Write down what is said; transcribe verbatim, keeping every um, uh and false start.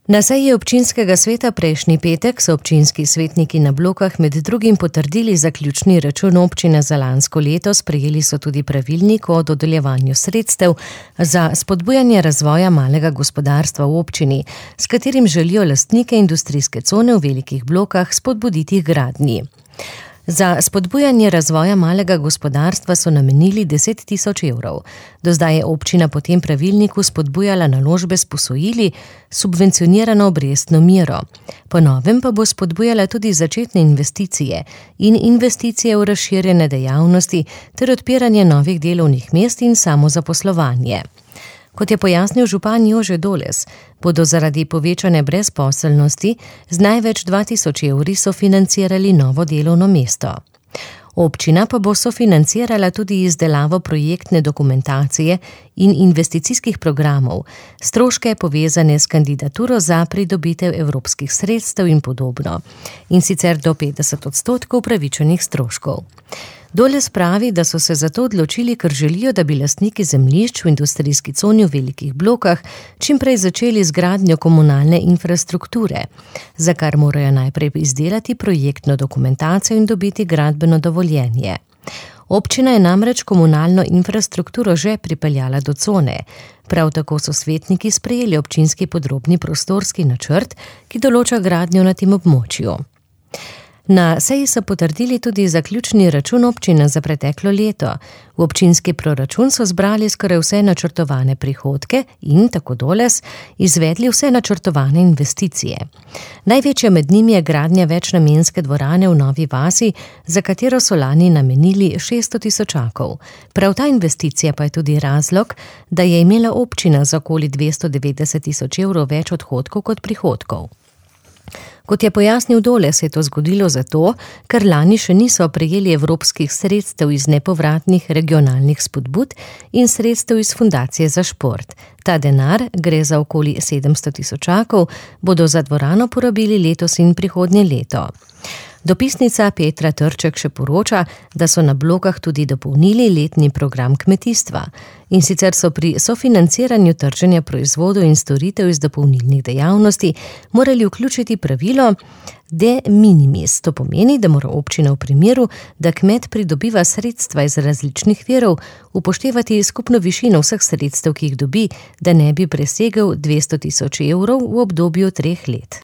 Na seji občinskega sveta prejšnji petek so občinski svetniki na Blokah med drugim potrdili zaključni račun občine za lansko leto, sprejeli so tudi pravilnik o dodeljevanju sredstev za spodbujanje razvoja malega gospodarstva v občini, s katerim želijo lastnike industrijske cone v Velikih Blokah spodbuditi k gradnji. Za spodbujanje razvoja malega gospodarstva so namenili deset tisoč evrov. Do zdaj je občina po tem pravilniku spodbujala naložbe s posojili, subvencionirano obrestno mero. Po novem pa bo spodbujala tudi začetne investicije in investicije v razširjene dejavnosti ter odpiranje novih delovnih mest in samozaposlovanje. Kot je pojasnil župan Jože Doles, bodo zaradi povečane brezposelnosti z največ dva tisoč evri sofinancirali novo delovno mesto. Občina pa bo sofinancirala tudi izdelavo projektne dokumentacije in investicijskih programov, stroške povezane s kandidaturo za pridobitev evropskih sredstev in podobno, in sicer do petdeset odstotkov upravičenih stroškov. Doles pravi, da so se zato odločili, ker želijo, da bi lastniki zemljišč v industrijski coni v Velikih Blokah čim prej začeli z gradnjo komunalne infrastrukture, za kar morajo najprej izdelati projektno dokumentacijo in dobiti gradbeno dovoljenje. Občina je namreč komunalno infrastrukturo že pripeljala do cone. Prav tako so svetniki sprejeli občinski podrobni prostorski načrt, ki določa gradnjo na tem območju. Na seji so potrdili tudi zaključni račun občine za preteklo leto. V občinski proračun so zbrali skoraj vse načrtovane prihodke in, tako Doles, izvedli vse načrtovane investicije. Največja med njimi je gradnja večnamenske dvorane v Novi vasi, za katero so lani namenili šeststo tisočakov. Prav ta investicija pa je tudi razlog, da je imela občina za okoli dvesto devetdeset tisoč evrov več odhodkov kot prihodkov. Kot je pojasnil Doles, je to zgodilo zato, ker lani še niso prejeli evropskih sredstev iz nepovratnih regionalnih spodbud in sredstev iz fundacije za šport. Ta denar, gre za okoli sedemsto tisočakov, bodo za dvorano porabili letos in prihodnje leto. Dopisnica Petra Trček še poroča, da so na Blokah tudi dopolnili letni program kmetijstva. In sicer so pri sofinanciranju trženja proizvodov in storitev iz dopolnilnih dejavnosti morali vključiti pravilo de minimis. To pomeni, da mora občina v primeru, da kmet pridobiva sredstva iz različnih virov, upoštevati skupno višino vseh sredstev, ki jih dobi, da ne bi presegel dvesto tisoč evrov v obdobju treh let.